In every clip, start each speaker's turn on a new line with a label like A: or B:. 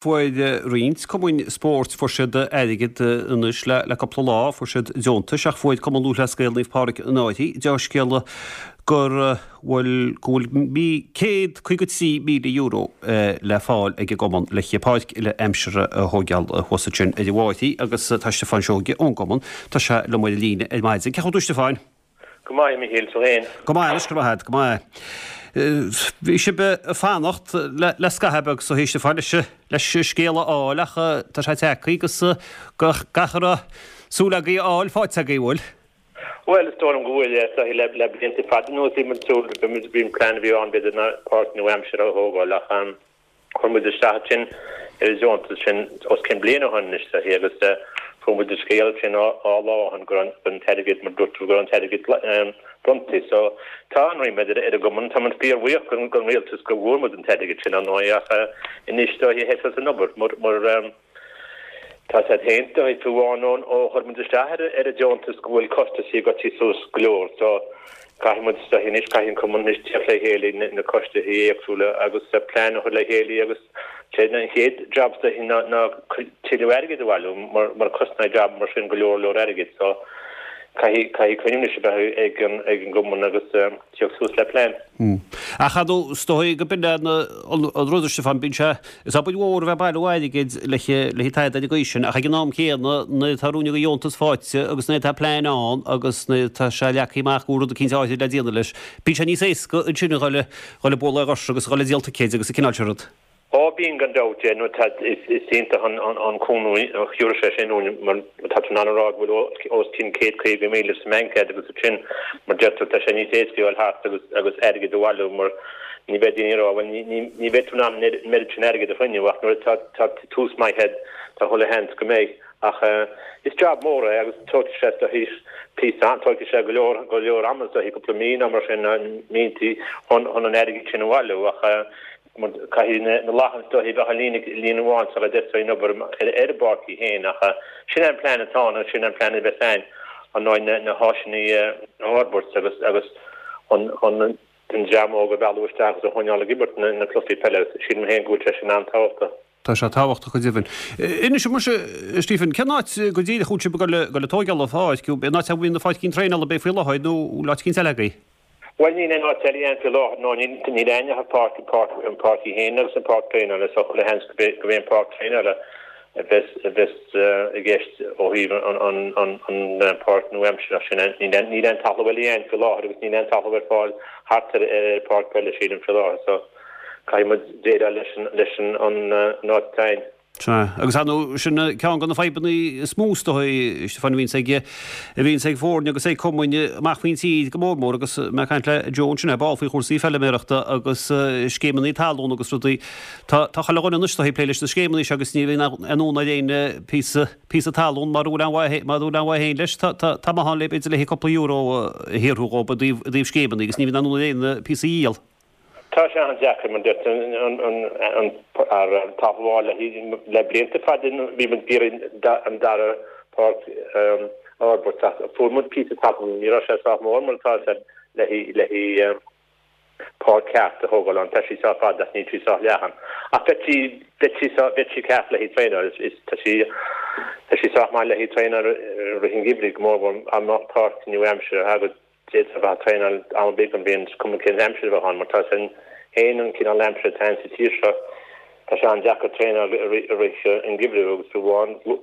A: Fuair roinnt cumainn spóirt, fuair siad airgead anois le cúpla lá, fuair siad deontais ach fuair Cumann Lúthchleas Gael Naomh Pádraig an Fhairche dea-scéala go bhfuil go bhfuil €153,000 le fáil ag an gcumann le páirc uile-aimsire a thóigeáil thuas ansin ar an bhFáirche agus tá Stiofán Seoige ón gcumann, tá sé liom ar an líne ar maidin. Cén chaoi a bhfuil tú Stiofáin?
B: Go maith, a Mhichíl, tú fhéin?
A: Go maith anois, go raibh maith agat, go maith. Bhí sibh ag fanacht le scaitheamh beag so a Stiofáin leis leis an scéal a fháil ach tá sé tagtha agus gach a raibh súil agaibh a fháil faighte agaibh, bhfuil?
B: Bhuel, is dóigh liom go bhfuil, is dóigh le le blianta fada anuas bhí muid súil, bhí an plean a bhí ann b'fhéidir ná páirc nua-aimseartha a thógáil ach Chuir muid isteach ansin ar an deontas sin os cionn bliain ó shin anois agus fuair muid an scéal sin dhá lá ó shin go raibh an t-airgead, mar dúirt tú, go raibh an t-airgead bronnta. So tá an-ríméad ar an gcumann. Tá muid fíorbhuíoch den rialtas go bhfuair muid an t-airgead sin, ar ndóigh, ach anois is dóiche thoiseos an obair mar Tá a fhios agat féin, fiú amháin ó chuir muid isteach ar an deontas go bhfuil costaisí ag goil suas go leor so caithfidh muid is dóiche anois, caithfidh an cumann anois teacht le chéile, na coistí éagsúla agus plean a chur le chéile agus sé an chéad job is dóiche ná ná tuilleadh airgid a bhailiú mar mar cosnaíonn job mar sin go leor leor airgid so caithfidh caithfidh cruinniú anois a bheith ag an ag an gcumann agus teacht suas le plean.
A: Ach ar ndóigh, is dóigh go b'in an rud, a Stiofáin, bíonn sé, is obair mhór a bheith ag bailiú airgid le haghaidh tada ar an gcaoi sin, ach ag an am céanna, nuair atá rud de dheontas faighte agus nuair atá plean ann agus nuair atá sé leagtha amach go bhfuil rud eicínt áirithe le déanamh leis, bíonn sé níos éasca ansin a dhul ag bualadh ar dhoirse agus a dhul ag díol ticéid agus an cineál sin rud.
B: Ó bíonn gan dabht, yeah, nó tá, is iontach an cúnamh a thiúrfadh sé sin dúinn mar tá tú in ann a rá go bhfuil os cionn 150,000 sa mbanc agat agus ansin mar deir tú tá sé níos éasca a dhul thart agus agus airgead a bhailiú mar ní bheidh daoine ag rá bhuel ní ní ní bheidh tú in ann an oiread sin airgead a chruinniú ach nuair atá tá tús maith agat tá chuile sheans go mbeidh ach is job mór é agus tógfaidh sé is dóichí píosa tógfaidh sé go leor go leor ama is dóichí cúpla mí nó mar sin míontaí chun chun an airgead sin a bhailiú ach Caithfidh na lachain is dóichí bheith i líne amháin sula dtosóidh an obair ar an bpáirc í féin ach sin é an plean atá ann agus sin é an plean a bheas againn ar ndóigh na háiseanna a fhorbairt agus agus chun an dream óg a mhealladh isteach agus a choinneáil ag imirt na cluichí peile agus sílim féin go bhfuil sé sin an-tábhachtach.
A: Tá sé tábhachtach go deimhin. Inis muise, a Stephen, cén áit go díreach a bhfuil sibh ag dul ag tóigeáil an pháirc? An áit a bhfuil na páircín traenála ab é faoi láthair nó bhfuil áit eicínt eile agaibh?
B: Bhuel, níl aon áit eile againn faoi láthair, nó níl aon ach an pháirc, an pháirc, an pháirc í féin agus an pháirc traenála, so chuile sheans go mbeidh an pháirc traenála a bheas, a bheas i gceist ó thaobh an, an, an, an pháirc nua-aimseartha sin. Níl aon, níl aon talamh eile againn faoi láthair agus níl aon talamh ar fáil thart ar, ar ar pháirc peile, sílim, faoi láthair, so caithfidh muid déileáil leis an, leis an, an, an áit atá againn.
A: Sea, agus ar ndóigh, sin ceann de na fadhbanna is mó is dóigh, Stiofán, a bhíonns ag, a bhíonns ag foirne agus ag cumainn amach faoin tír go mór mór agus mé ag caint le Joe ansin, ar ball faoi chúrsaí feilméarachta agus scéimeanna talún agus rudaí. Tá, tá chuile dhuine anois is dóigh ag plé leis na scéimeanna seo agus ní bhíonn aon fhonn ar éinne píosa, píosa talún mara bhfuil aon mhaith, mara bhfuil aon mhaith féin leis. Tá, tá, tá maith ann le, b'fhéidir le haghaidh cúpla euro a shaothrú dhóibh i dtaobh, i dtaobh scéimeanna agus ní bhíonn aon fhonn ar éinne píosa a dhíol.
B: Tá sé an-deacair mar deir tú an talamh a fháil le blianta fada bhí muid ag iarraidh an dara páirc a fhorbairt ach fuair muid píosa talún, ní raibh sé sách mór mar atá sé le haghaidh páirc ceart a thógáil ann, tá sí sách fada ach níl sí sách leathan. Ach bheadh sí bheadh sí bheadh sí ceart le haghaidh traenáil, tá sí tá sí sách maith le haghaidh traenáil i rith an gheimhridh go mórmhór dá mbeadh páirc nua-aimseartha agat. D'fhéadfá a bheith ag traenáil am ar bith den bhliain, is cuma cén aimsir a bheadh ann, mar tá a fhios againn féin an cineál aimsire atá ann sa tír seo, tá sé an-deacair traenáil i rith an gheimhridh agus fiú amháin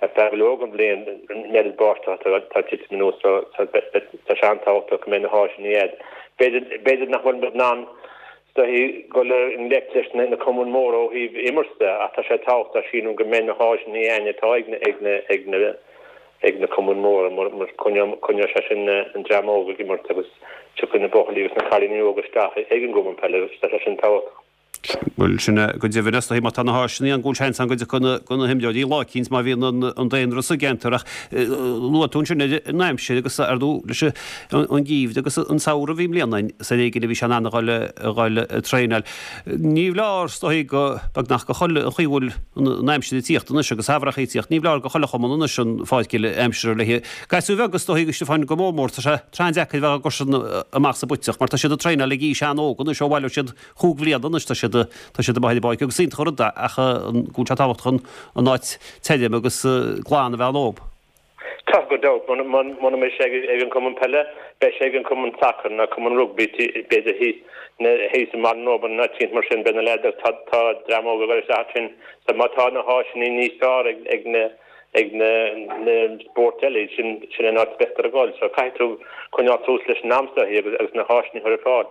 B: ar feadh go leor den bhliain an oiread báisteach atá ag titim anuas so tá sé an-tábhachtach go mbeidh na háiseanna agat. B'fhéidir nach bhfuil muid in ann is dóichí dul i ngleic leis na cumainn mhóra ó thaobh imirt de ach tá sé tábhachtach sílim go mbeidh na háiseanna againn atá ag na ag na ag na ag na cumainn mhóra mar coinneoidh sé sin an dream óg ag imirt agus tiocfaidh na buachaillí agus na cailíní óga isteach ag an gcumann peile agus tá sé sin tábhachtach.
A: Bhuel, sin é go deimhin, is dóichí má tá na háiseanna ann go bhfuil seans ann go dtiocfaidh na himreoirí lá eicínt má bhíonn an daonra sa gceantar ach luaigh tú ansin ar an aimsir agus ar ndóigh leis an gheimhreadh agus an samhradh a bhí i mbliana ann is ar éigean a bhí sé in ann a dhul a dhul ag traenáil. Ní foláir, is dóichí, go beagnach go chuile, an chaoi a bhfuil an aimsir ag tíocht anois agus samhradh ag tíocht, ní foláir go chuile chumann anois an pháirc uile-aimsire le gasúir bheaga, is dóichí, Stiofán, go mór mór, tá sé tráth an-deacair a bheith á gcur sin amach sa bpuiteach mar tá siad ag traenáil ag aois an-óg anois, ó bhaileoidh siad chúig bhliana anois tá siad. tá siad amuigh ar an bpáirc agus is iontach an rud é ach go bhfuil sé tábhachtach an an áit tirim agus glan a bheith ann dóibh.
B: Tá, gan dabht. Muna mbeidh sé ag an cumann peile, beidh sé ag an cumann sacair nó cumann rugbaí, b'fhéidir thíos thíos i mBaile an Róba nó áit eicínt mar sin, beidh na leaids, tá tá dream óg ag dul isteach ansin. So má tá na háiseanna níos fearr ag ag na ag na na spóirt eile, sin sin an áit a mbeadar ag dul. So caithfidh tú coinneáil suas leis an am is dóichí agus agus na háiseanna a chur ar fáil.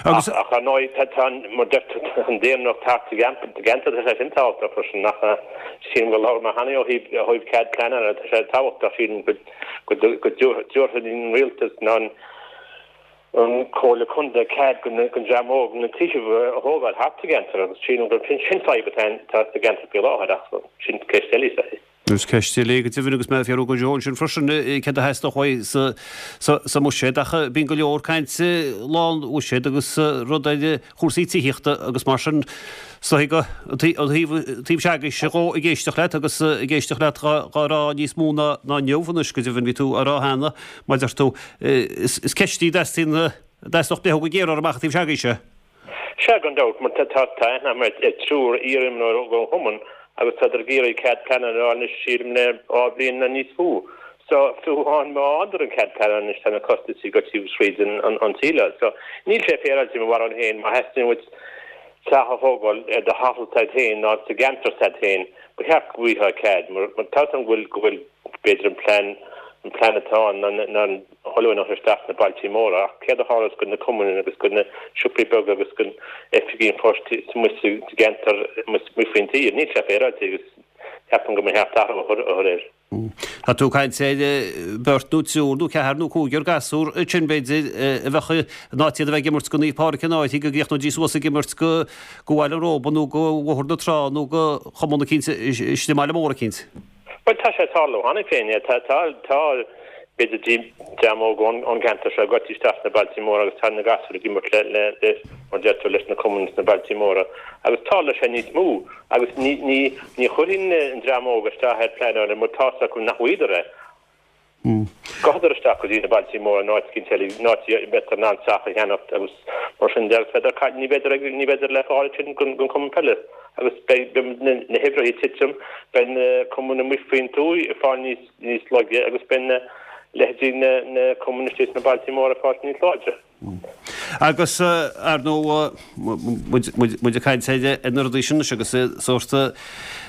B: Agus. Ach ar ndóigh, tá, tá, mar deir tú, tá an daonra thart sa gceantar, tá sé sin tábhachtach freisin, ach sílim gur labhair mé cheana ó thaobh, ó thaobh cead pleanála, tá sé tábhachtach, sílim, go, go, go dtabharfaidh an rialtas nó an, an Comhairle Contae cead don, don dream óg na tithe a thógáil thart sa gceantar agus sílim gur sin, sin fadhb atá, atá sa gceantar faoi láthair ach sin ceist eile is ea.
A: Is ceist eile é go deimhin agus mé ag fiafraí de Joe ansin freisin céard a theastódh uaidh sa mbuiséad ach bíonn go leor cainte lá an bhuiséid agus rud ar chúrsaí tithíochta agus mar sin is dóigh go an taobh s'agaibhse dhó ag éisteacht leat agus ag éisteacht leat dhá rá níos mó ná inniu anois go deimhin bhí tú á rá cheana mar deir tú is ceist í a dteastaíonn a dteastódh breith go géar orthu amach an taobh s'agaibhse.
B: Sea, gan dabht, mar tá aithne agam ar triúr iarimreoir ón chumann agus tádar ag iarraidh cead pleanála a fháil anois sílim le 2 bhliain nó níos mó. So, fiú amháin má fhaigheadar an cead pleanála anois tá na costaisí ag dul thríd an tsíleáil. So, níl sé féaráilte i mo bharúil féin, má theastaíonn uait teach a thógáil ar do thalamh s'agat féin nó sa gceantar s'agat féin, ba cheart go bhfaighfeá cead mar tá 'fhios agam go bhfuil, go bhfuil b'fhéidir an plean, an plean atá ann ná an oiliúint a chur isteach sna bailtí móra, ach céard a tharlós do na cumainn agus do na siopaí beaga agus do oifigí an phoist amuigh sa gceantar amuigh faoin tír? Níl sé féaráilte agus ceapaim go mba cheart athrú a chur air.
A: Tá tú ag caint ar bheirt nó triúr nó ceathrar nó cúigear gasúr ansin b'fhéidir a bheadh in áit iad a bheith ag imirt go Naomh Pádraig an Fhairche go gcríochnóidís suas ag imirt go Bhaile an Róba nó go Bhóthar na Trá nó go chumann eicínt istigh i mbaile mór eicínt.
B: Bhuel, tá sé ag tarlú cheana féin. Tá, tá, tá, b'fhéidir dream óg ón gceantar seo ag goil isteach sna bailtí móra agus tá na gasúir ag imirt le, le, le, mar deir tú, leis na cumainn sna bailtí móra agus tarlóidh sé níos mó agus ní, ní, ní chuirfinn an dream óg isteach ar pleanáil mar tá 'fhios acu nach bhfaighidar é. Gabhfadar isteach go dtí na bailtí móra nó áit eicínt eile, nó áit a mbeadar in ann teach a cheannacht agus mar sin de agus bheadar caillte, ní bheadar ag, ní bheadar le fáil ansin don chumann peile agus beidh na huimhreacha ag titim, beidh na cumainn amuigh faoin tuath ag fáil níos, níos laige agus beidh na leithéidí na, na cumainn istigh sna bailtí móra ag fáil níos láidre.
A: Agus, ar ndóigh, muid ag caint ar na rudaí sin anois agus sórt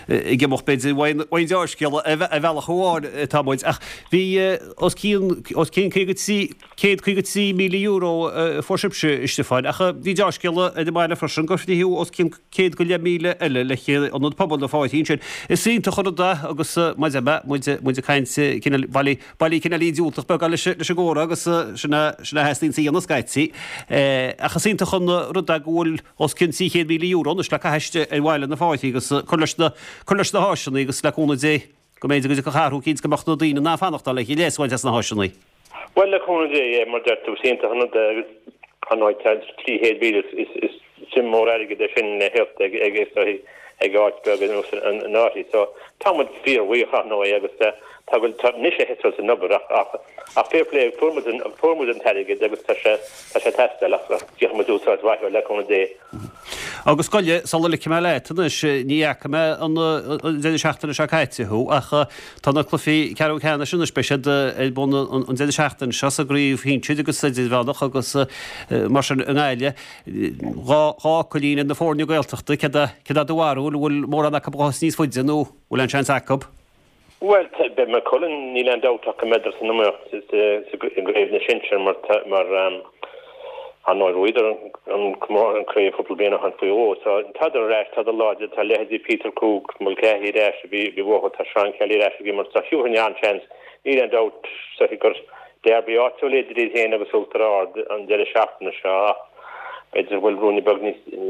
A: ag imeacht b'fhéidir uaidh an dea-scéala ar bhealach amháin atá muid. Ach bhí os cionn os cionn €153,000 a fuair sibhse, a Stiofáin, ach bhí dea-scéala ar an mbaile freisin gur frítheadh os cionn 100,000 eile le hIonad Pobail na Fáirche ansin. Is iontach an rud é agus mar a deir mé, muid ag caint cineál bailí Bailí cineáilín diúltach beagán leis an gcomhrá agus sin a theastaíonns a dhéanamh scaití. Ach is iontach an rud é go bhfuil os cionn €300,000 anois le caitheamh istigh ar bhaile na Fáirche agus cur leis na cur leis na háiseanna agus le cúnamh Dé go mb'fhéidir go dtiocfadh athrú eicínt go mbeadh na daoine in ann fanacht le leas a bhaint as na háiseanna.
B: Bhuel le cúnamh Dé, é mar deir tú, is iontach an rud é agus ar ndóigh tá 300,000 is is suim mór airgid é sin le theacht ag ag ag áit beag ar nós an Fhairche. So tá muid fíorbhuíoch ar ndóigh agus tá go tá anois a thosós an obair ach ach ach fair play fuair muid an fuair muid an t-airgead agus tá sé tá sé ag teastáil ach ach déanfaidh muid úsáid mhaith as le cúnamh Dé.
A: Agus gabh i leith, sula ligfidh mé leat anois, ní fhaca mé an deireadh seachtaine seo caite thú ach tá na cluichí ceathrú ceannais anois, beidh siad ar bun an deireadh seachtaine seo sa gcraobh shinsir agus idirmheánach agus mar sin i nGaillimh. Dhá fhocailín ar na foirne Gaeltachta, céard é do bharúil, an bhfuil mórán acu a ghabhfas níos faide nó an bhfuil aon seans acu?
B: Bhuel, beidh Maigh Cuilinn, níl aon dabht ach go mbeidar san iomaíocht i gcraobh na sinsear mar ar ndóigh bhuadar an craobh cúpla bliain ó shin faoi dhó. So tádar ar ais, tádar láidir, tá leithéidí Peter Cooke, Mulcahy ar ais a bhí uathu, tá Seán Kelly ar ais ag imirt, so thiúrfainn an-seans, níl aon dabht so gur derby áitiúil idir iad féin agus Uachtar Ard an deireadh seachtaine seo ach b'fhéidir go bhfuil ruainne beag níos an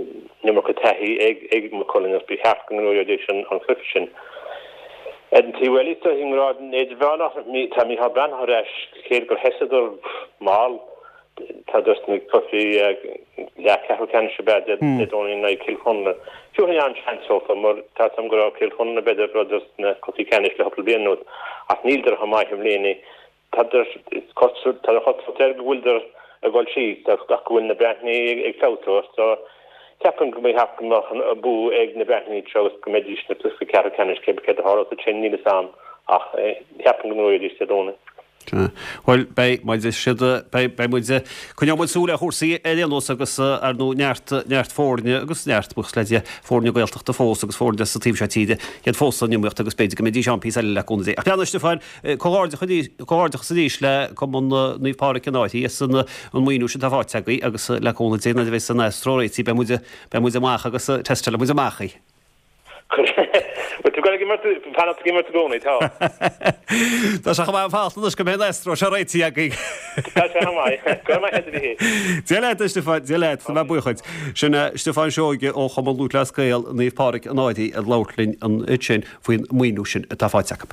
B: iomarca taithí ag Maigh Cuilinn agus ba cheart go ngnóthóidís an cluiche sin. Ar an taobh eile, is dóigh, i ngrád idirmheánach, tá Micheál Breathnach ar ais, cé gur sheasadar mall, tádar sna cluichí leathcheathrú ceannais ab ea Dé Domhnaigh in aghaidh Cill Chonla. Thiúrfainn an-seans dófa mar tá 'fhios a'm go raibh Cill Chonla b'fhéidir rud sna cluichí ceannais le cúpla bliain anuas ach níldar chomh maith i mbliana Tá cosúlacht air go bhfuiltear ag dul síos ach go bhfuil na Breathnaigh ag feabhsú. So Ceapaim go mbeidh go mbeadh an bua ag na Breathnaigh anseo agus go mbeidís sna cluiche ceathrú ceannais cé céard a tharlós ansin níl fhios a'm ach ceapaim go ngnóthóidís Dé Domhnaigh.
A: Bhuel beidh muid siad beidh beidh muid coinneoidh muid súil ar chúrsaí ar aon nós agus ar ndóigh neart neart foirne agus neart buíochas le Dia foirne Gaeltachta fós agus foirne sa taobh seo tíre iad fós san iomaíocht agus b'fhéidir go mbeidís ann píosa eile le cúnamh Dé. Ach lean a Stiofáin Comhghairdeachas arís le Cumann Naomh Pádraig an Fhairche as an maoiniú sin atá faighte agaibh agus le cúnamh Dé nuair a bheas an Astro réitithe beidh muid beidh muid amach agus testálfaidh muid amach í.
B: Bhfuil tú ag imirt fanacht ag imirt i gcónaí, tá.
A: Tá sé chomh maith fanacht anois go mbeidh an Astro seo réitithe agaibh.
B: Tá sé chomh maith. Go raibh maith agat a Mhichíl.
A: Dia leat a Stiofáin, Dia leat, tá mé buíoch duit. Sin é Stiofán Seoige ó Chumann Lúthchleas Gael Naomh Pádraig an Fhairche ag labhairt linn ansin faoin maoiniú sin atá faighte acu.